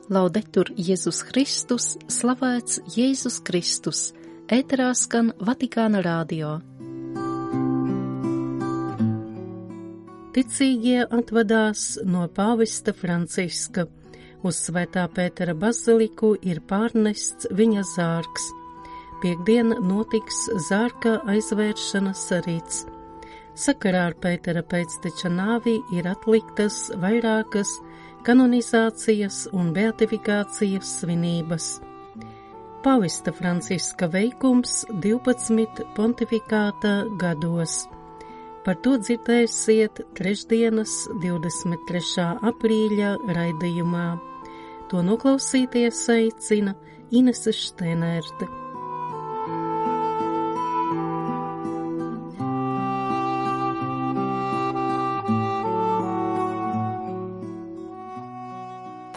Laudetur Jēzus Kristus, slavēts Jēzus Kristus, ēterā skan Vatikāna radio. Ticīgie atvadās no pāvesta Franciska. Uz Svētā Pētera baziliku ir pārnests viņa zārks. Piektdien notiks zārka aizvēršanas rīts. Sakarā ar Pētera pēcteča nāvi ir atliktas vairākas kanonizācijas un beatifikācijas svinības. Pāvesta Franciska veikums 12 pontifikāta gados. Par to dzirdēsiet trešdienas 23. aprīļa raidījumā. To noklausīties aicina Inese Štēnērte.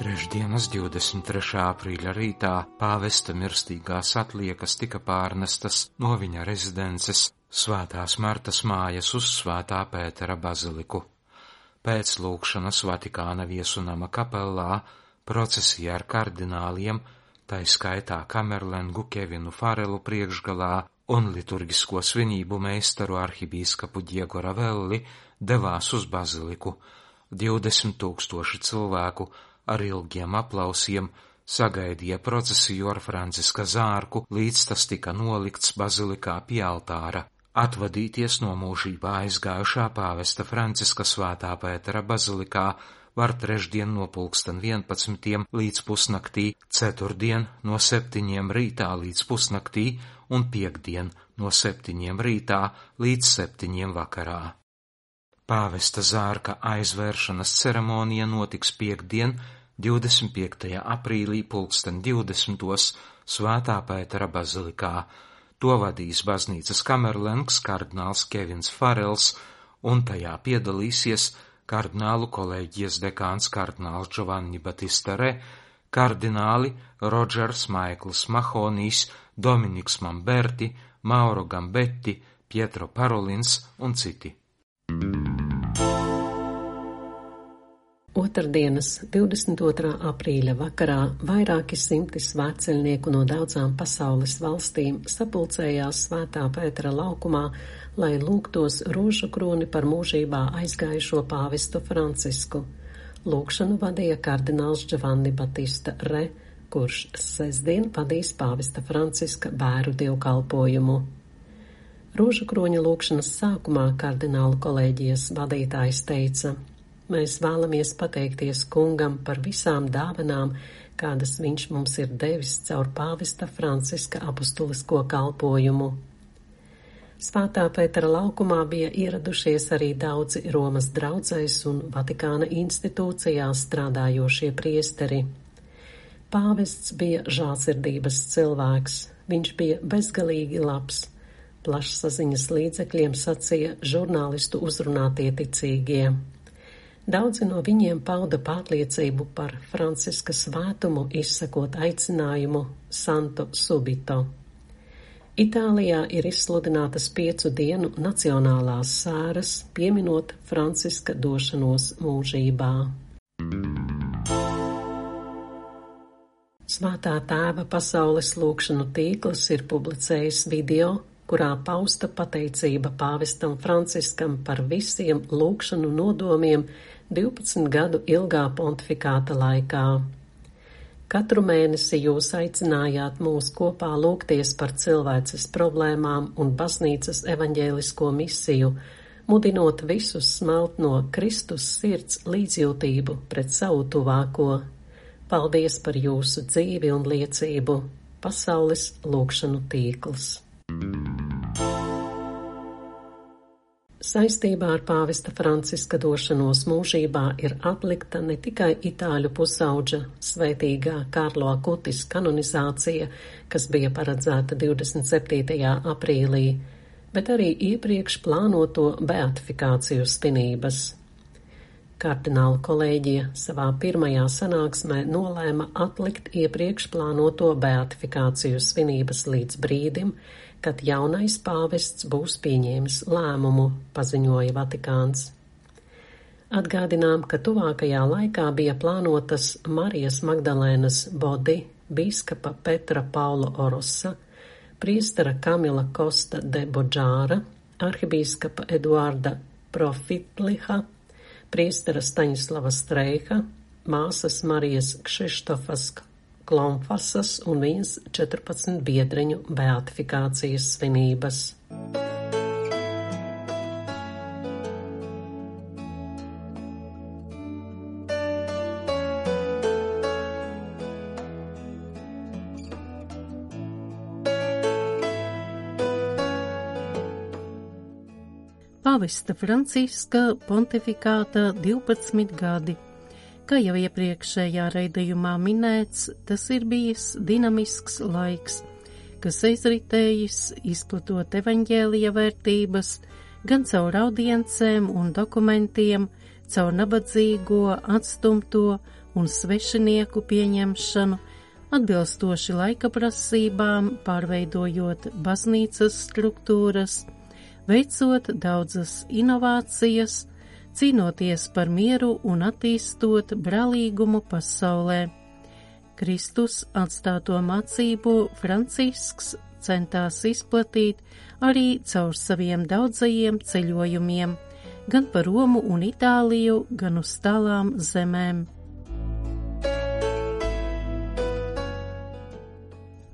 Trešdienas 23. aprīļa rītā pāvesta mirstīgās atliekas tika pārnestas no viņa rezidences Svētās Martas mājas uz Svētā Pētera baziliku. Pēc lūgšanas Vatikāna viesunama kapellā procesija ar kardināliem, tai skaitā Kamerlengu Kevinu Farelu priekšgalā un liturgisko svinību meistaru arhibīskapu Diego Ravelli devās uz baziliku. 20,000 cilvēku ar ilgiem aplausiem sagaidīja procesiju ar Franciska zārku, līdz tas tika nolikts bazilikā pie altāra. Atvadīties no mūžībā aizgājušā pāvesta Franciska Svētā Pētera bazilikā var trešdien no 11:00 līdz pusnaktī, ceturtdien no 7:00 rītā līdz pusnaktī un piektdien no 7:00 rītā līdz 7:00 vakarā. Pāvesta zārka aizvēršanas ceremonija notiks piektdien, 25. aprīlī 20:20 Svētā Pētera bazilikā. To vadīs baznīcas kamerlengs kardināls Kevins Farels, un tajā piedalīsies kardinālu kolēģijas dekāns kardināls Giovanni Battista Re, kardināli Rodžers Maikls Mahonijs, Dominiks Mamberti, Mauro Gambetti, Pietro Parolins un citi. Otrdienas 22. aprīļa vakarā vairāki simti svētceļnieku no daudzām pasaules valstīm sapulcējās Svētā Pētera laukumā, lai lūgtos rožu kroni par mūžībā aizgājušo pāvestu Francisku. Lūgšanu vadīja kardināls Giovanni Battista Re, kurš sestdien vadīs pāvesta Franciska bēru dievkalpojumu. Rožu kroņa lūgšanas sākumā kardinālu kolēģijas vadītājs teica: Mēs vēlamies pateikties kungam par visām dāvanām, kādas viņš mums ir devis caur pāvesta Franciska apustulisko kalpojumu. Svētā Pētera laukumā bija ieradušies arī daudzi Romas draudzēs un Vatikāna institūcijās strādājošie priesteri. Pāvests bija žālsirdības cilvēks, viņš bija bezgalīgi labs. Plašsaziņas līdzekļiem sacīja žurnālistu uzrunātie ticīgie. Daudzi no viņiem pauda pārliecību par Franciska svētumu, izsakot aicinājumu Santo Subito. Itālijā ir izsludinātas 5 dienu nacionālās sēras, pieminot Franciska došanos mūžībā. Svētā tēva pasaules lūgšanu tīkls ir publicējis video, kurā pausta pateicība pāvestam Franciskam par visiem lūgšanu nodomiem 12 gadu ilgā pontifikāta laikā. Katru mēnesi jūs aicinājāt mūs kopā lūgties par cilvēces problēmām un baznīcas evaņģēlisko misiju, mudinot visus smelt no Kristus sirds līdzjūtību pret savu tuvāko. Paldies par jūsu dzīvi un liecību. Pasaules lūgšanu tīkls. Saistībā ar pāvesta Franciska došanos mūžībā ir atlikta ne tikai itāļu pusauģa svētīgā Karlo Akutis kanonizācija, kas bija paredzēta 27. aprīlī, bet arī iepriekš plānoto beatifikāciju svinības. Kardināla kolēģija savā pirmajā sanāksmē nolēma atlikt iepriekš plānoto beatifikāciju svinības līdz brīdim, kad jaunais pāvests būs pieņēmis lēmumu, paziņoja Vatikāns. Atgādinām, ka tuvākajā laikā bija plānotas Marijas Magdalēnas Bodi, bīskapa Petra Paula Orosa, priestera Kamila Kosta de Bodžāra, arhibīskapa Eduarda Profitliha, priestera Staņislava Streiha, māsas Marijas Kšištofas Klomfasas un viņas 14 biedreņu beatifikācijas svinības. Pāvesta Franciska pontifikāta 12 gadi. Kā jau iepriekšējā raidījumā minēts, tas ir bijis dinamisks laiks, kas aizritējis izplatot evaņģēlija vērtības gan caur audiencēm un dokumentiem, caur nabadzīgo, atstumto un svešinieku pieņemšanu, atbilstoši laika prasībām, pārveidojot baznīcas struktūras, veicot daudzas inovācijas, cīnoties par mieru un attīstot brālīgumu pasaulē. Kristus atstāto mācību Francisks centās izplatīt arī caur saviem daudzajiem ceļojumiem, gan pa Romu un Itāliju, gan uz tālām zemēm.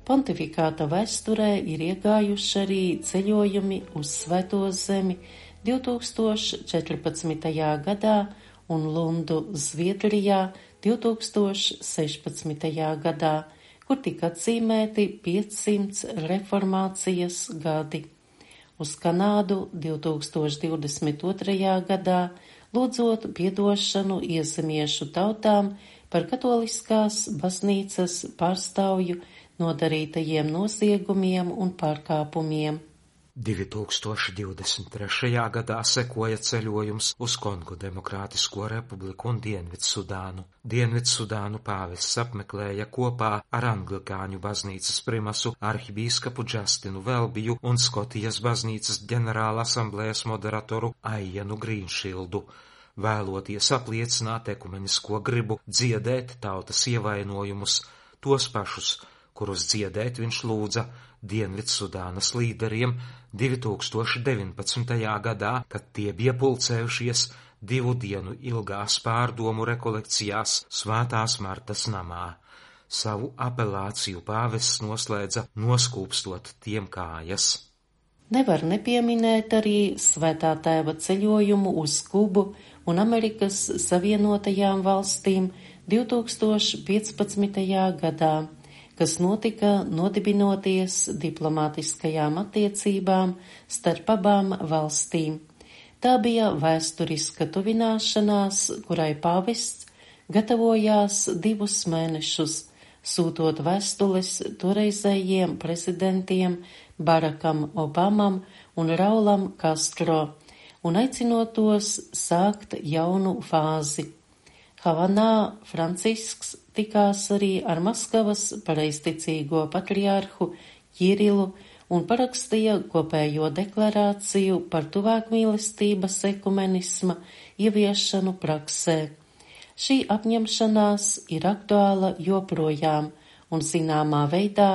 Pontifikāta vēsturē ir iegājuši arī ceļojumi uz Svēto zemi 2014. gadā un Lundu Zviedrijā 2016. gadā, kur tika atzīmēti 500 reformācijas gadi. Uz Kanādu 2022. gadā, lūdzot piedošanu iezemiešu tautām par katoliskās baznīcas pārstāvju nodarītajiem noziegumiem un pārkāpumiem. 2023. gadā sekoja ceļojums uz Kongo Demokrātisko republiku un Dienvidsudānu. Dienvidsudānu pāvests apmeklēja kopā ar Anglikāņu baznīcas primasu arhibīskapu Justinu Velbiju un Skotijas baznīcas ģenerāla asamblējas moderatoru Aianu Grīnšildu, vēloties apliecināt ekumenisko gribu dziedēt tautas ievainojumus, tos pašus, kurus dziedēt viņš lūdza Dienvidsudānas līderiem 2019. gadā, kad tie bija pulcējušies 2 dienu ilgās pārdomu rekolekcijās Svētās Martas namā. Savu apelāciju pāvests noslēdza noskūpstot tiem kājas. Nevar nepieminēt arī Svētā tēva ceļojumu uz Kubu un Amerikas Savienotajām valstīm 2015. gadā, kas notika nodibinoties diplomātiskajām attiecībām starp abām valstīm. Tā bija vēsturiska tuvināšanās, kurai pāvests gatavojās 2 mēnešus, sūtot vēstules toreizējiem prezidentiem Barakam Obamam un Raulam Castro un aicinot tos sākt jaunu fāzi. Havanā Francisks tikās arī ar Maskavas pareizticīgo patriārhu Jirilu un parakstīja kopējo deklarāciju par tuvākmīlestības ekumenisma ieviešanu praksē. Šī apņemšanās ir aktuāla joprojām, un zināmā veidā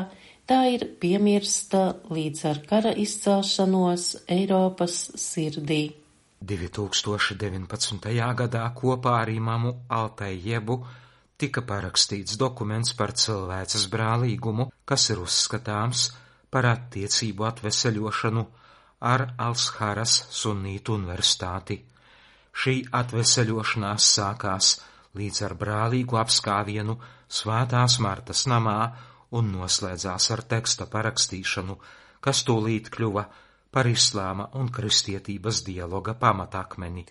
tā ir piemirsta līdz ar kara izcelšanos Eiropas sirdī. 2019. gadā kopā ar imamu Altaijebu tika parakstīts dokuments par cilvēces brālīgumu, kas ir uzskatāms par attiecību atveseļošanu ar Alsharas Sunnītu universitāti. Šī atveseļošanās sākās līdz ar brālīgu apskāvienu Svētās Martas namā un noslēdzās ar teksta parakstīšanu, kas tūlīt kļuva par islāma un kristietības dialoga pamatakmeni.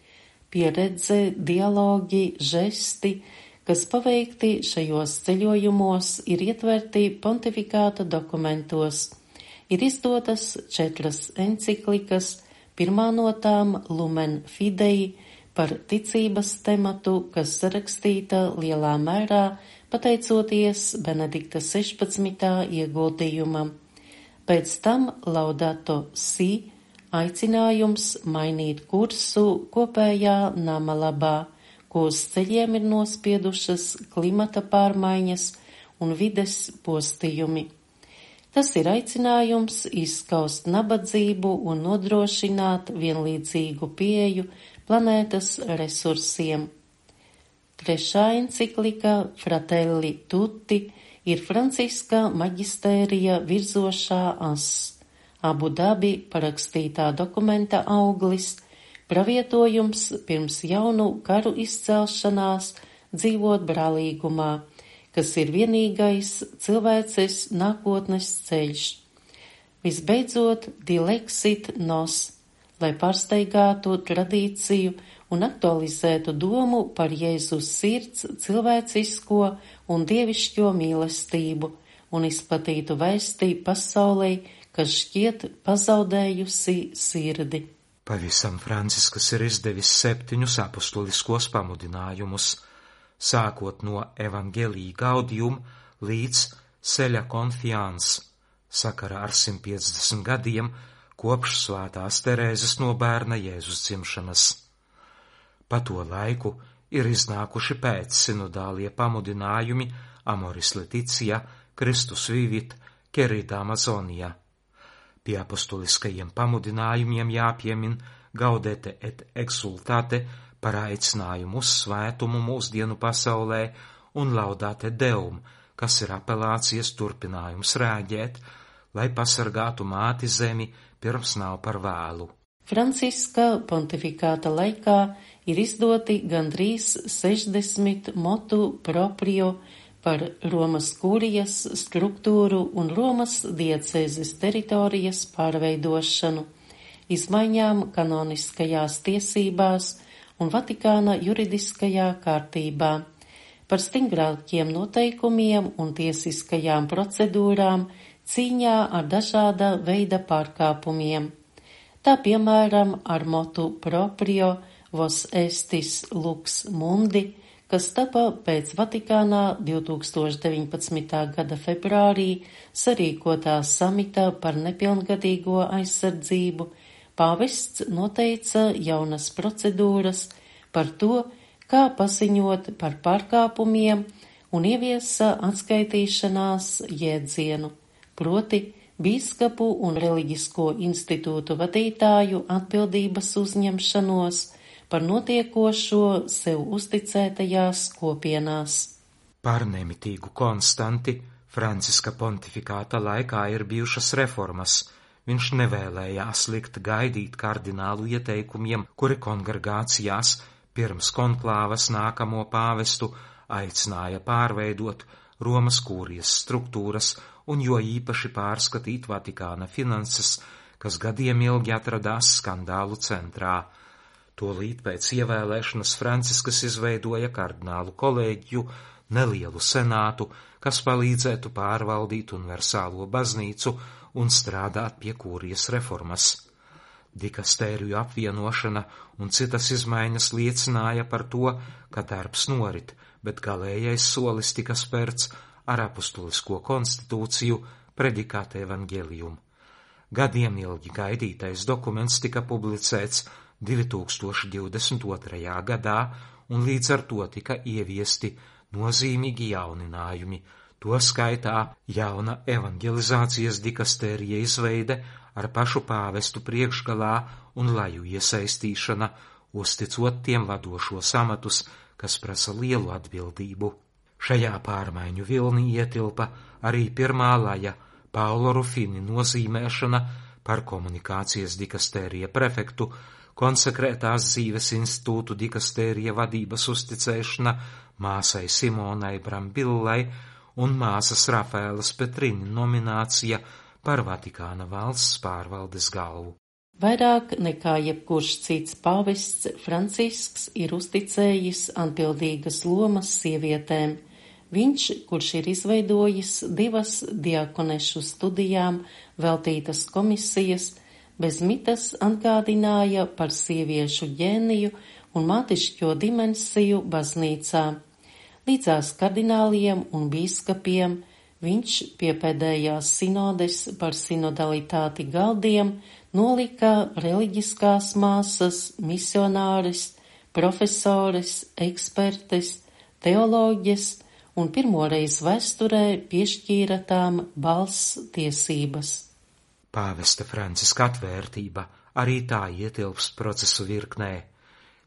Pieredze, dialogi, žesti, kas paveikti šajos ceļojumos, ir ietverti pontifikāta dokumentos. Ir izdotas 4 enciklikas, pirmā no tām Lumen Fidei par ticības tematu, kas sarakstīta lielā mērā pateicoties Benedikta 16. ieguldījumam. Pēc tam Laudato Si, aicinājums mainīt kursu kopējā nama labā, ko uz ceļiem ir nospiedušas klimata pārmaiņas un vides postījumi. Tas ir aicinājums izskaust nabadzību un nodrošināt vienlīdzīgu pieeju planētas resursiem. Trešā enciklika Fratelli Tutti ir Franciska maģistērija virzošā ass, Abu Dabi parakstītā dokumenta auglis, pravietojums pirms jaunu karu izcelšanās dzīvot brālīgumā, kas ir vienīgais cilvēces nākotnes ceļš. Visbeidzot, Dilexit Nos, lai pārsteigātu tradīciju un aktualizētu domu par Jēzus sirds cilvēcisko un dievišķo mīlestību un izplatītu vēstī pasaulei, kas šķiet pazaudējusi sirdi. Pavisam Franciskas ir izdevis 7 apustuliskos pamudinājumus, sākot no Evangelii Gaudium līdz Ceļa Confiance, sakarā ar 150 gadiem kopš Svētās Terēzes no bērna Jēzus dzimšanas. Pa to laiku ir iznākuši pēc sinodālie pamudinājumi Amoris Laetitia, Christus Vivit, Querida Amazonia. Pie apustuliskajiem pamudinājumiem jāpiemin Gaudete et Exultate par aicinājumu uz svētumu mūsdienu pasaulē un Laudate Deum, kas ir apelācijas turpinājums rēģēt, lai pasargātu māti zemi pirms nav par vēlu. Franciska pontifikāta laikā ir izdoti gandrīz 60 motu proprio par Romas kurijas struktūru un Romas diecēzes teritorijas pārveidošanu, izmaiņām kanoniskajās tiesībās un Vatikāna juridiskajā kārtībā, par stingrākiem noteikumiem un tiesiskajām procedūrām cīņā ar dažāda veida pārkāpumiem. Tā piemēram ar motu proprio Vos estis lux mundi, kas tapa pēc Vatikānā 2019. gada februārī sarīkotā samita par nepilngadīgo aizsardzību, pāvests noteica jaunas procedūras par to, kā paziņot par pārkāpumiem un ieviesa atskaitīšanās jēdzienu, proti bīskapu un reliģisko institūtu vadītāju atbildības uzņemšanos par notiekošo sev uzticētajās kopienās. Par nemitīgu konstanti Franciska pontifikāta laikā ir bijušas reformas. Viņš nevēlējās likt gaidīt kardinālu ieteikumiem, kuri kongregācijās pirms konklāvas nākamo pāvestu aicināja pārveidot Romas kūrijas struktūras un jo īpaši pārskatīt Vatikāna finanses, kas gadiem ilgi atradās skandālu centrā. Tolīt pēc ievēlēšanas Franciskas izveidoja kardinālu kolēģiju, nelielu senātu, kas palīdzētu pārvaldīt universālo baznīcu un strādāt pie kūrijas reformas. Dikastēriju apvienošana un citas izmaiņas liecināja par to, ka darbs norit, bet galējais solis tika spērts ar apustulisko konstitūciju Predikate Evangelium. Gadiem ilgi gaidītais dokuments tika publicēts 2022. gadā, un līdz ar to tika ieviesti nozīmīgi jauninājumi, to skaitā jauna evangelizācijas dikastērija izveide ar pašu pāvestu priekšgalā un laju iesaistīšana, uzticot tiem vadošos amatus, kas prasa lielu atbildību. Šajā pārmaiņu vilnī ietilpa arī pirmā laja Paulo Rufini nozīmēšana par komunikācijas dikastērija prefektu, konsekrētās dzīves institūtu dikastērija vadības uzticēšana māsai Simonai Brambillai un māsas Rafaelas Petrini nominācija par Vatikāna valsts pārvaldes galvu. Vairāk nekā jebkurš cits pāvests Francisks ir uzticējis atbildīgas lomas sievietēm. Viņš, kurš ir izveidojis 2 diakonešu studijām veltītas komisijas, bez mitas atgādināja par sieviešu ģēniju un mātišķo dimensiju baznīcā. Līdzās kardināliem un bīskapiem viņš pie pēdējās sinodes par sinodalitāti galdiem nolika reliģiskās māsas, misionāris, profesores, ekspertes, teoloģes un pirmoreiz vēsturē piešķīra tām balss tiesības. Pāvesta Franciska atvērtība arī tā ietilpst procesu virknē.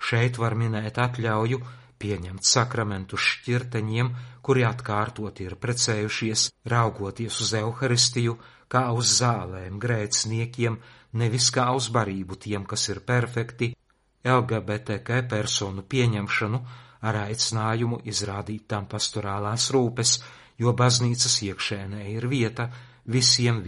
Šeit var minēt atļauju pieņemt sakramentus šķirteņiem, kuri atkārtoti ir precējušies, raugoties uz Euharistiju kā uz zālēm grēciniekiem, nevis kā uz barību tiem, kas ir perfekti, LGBTQ personu pieņemšanu ar aicinājumu izrādīt tam pastorālās rūpes, jo baznīcas iekšēnē ir vieta visiem,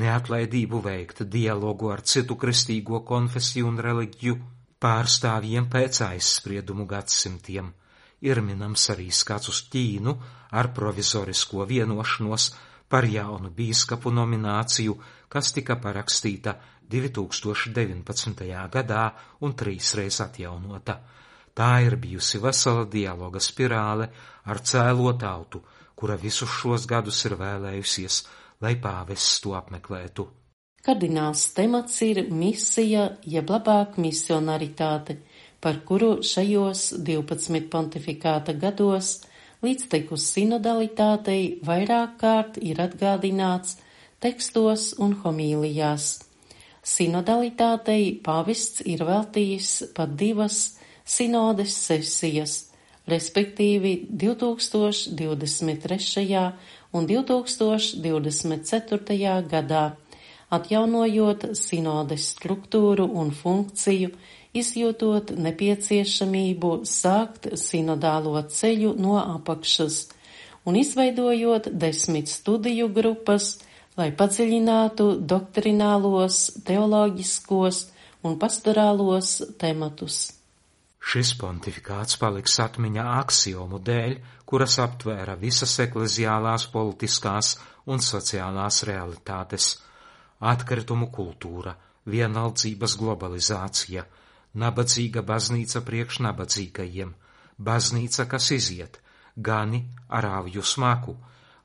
neatlaidību veikt dialogu ar citu kristīgo konfesiju un reliģiju pārstāvjiem pēc aizspriedumu gadsimtiem. Ir minams arī skats uz Ķīnu ar provizorisko vienošanos par jaunu bīskapu nomināciju, kas tika parakstīta 2019. gadā un 3 reiz atjaunota. Tā ir bijusi vesela dialoga spirāle ar cēlo tautu, kura visus šos gadus ir vēlējusies, lai pāvests to apmeklētu. Kardināls temats ir misija, jeb labāk misionaritāte, par kuru šajos 12 pontifikāta gados līdztekus sinodalitātei vairāk kārt ir atgādināts tekstos un homīlijās. Sinodalitātei pāvests ir veltījis pat 2 sinodes sesijas, respektīvi 2023. un 2024. gadā, atjaunojot sinodes struktūru un funkciju, izjūtot nepieciešamību sākt sinodālo ceļu no apakšas un izveidojot 10 studiju grupas, lai padziļinātu doktrinālos, teoloģiskos un pastorālos tematus. Šis pontifikāts paliks atmiņā aksiomu dēļ, kuras aptvēra visas ekleziālās, politiskās un sociālās realitātes - atkritumu kultūra, vienaldzības globalizācija, nabadzīga baznīca priekš nabadzīgajiem, baznīca, kas iziet, gani ar avju smaku,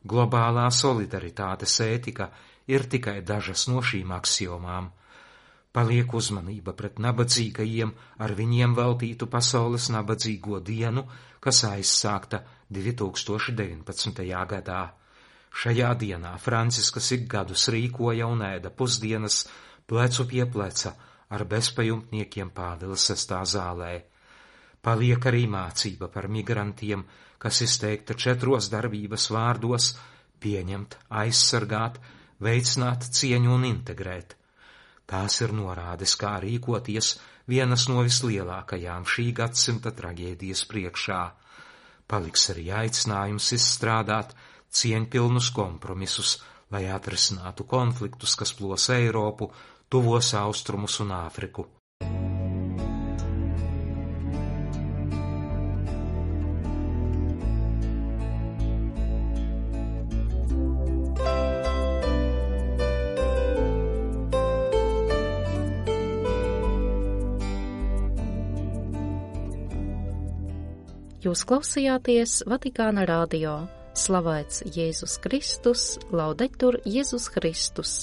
globālā solidaritātes ētika ir tikai dažas no šīm aksiomām. Paliek uzmanība pret nabadzīgajiem ar viņiem veltītu pasaules nabadzīgo dienu, kas aizsākta 2019. gadā. Šajā dienā Franciskas ik gadus rīkoja un ēda pusdienas plecu pie pleca ar bezpajumtniekiem Pāvila 6. zālē. Paliek arī mācība par migrantiem, kas izteikta 4 darbības vārdos – pieņemt, aizsargāt, veicināt cieņu un integrēt. Tās ir norādes, kā rīkoties vienas no vislielākajām šī gadsimta traģēdijas priekšā. Paliks arī aicinājums izstrādāt cieņpilnus kompromisus, lai atrisinātu konfliktus, kas plos Eiropu, Tuvos Austrumus un Āfriku. Jūs klausījāties Vatikāna radio. Slavēts Jēzus Kristus, laudetur Jēzus Kristus.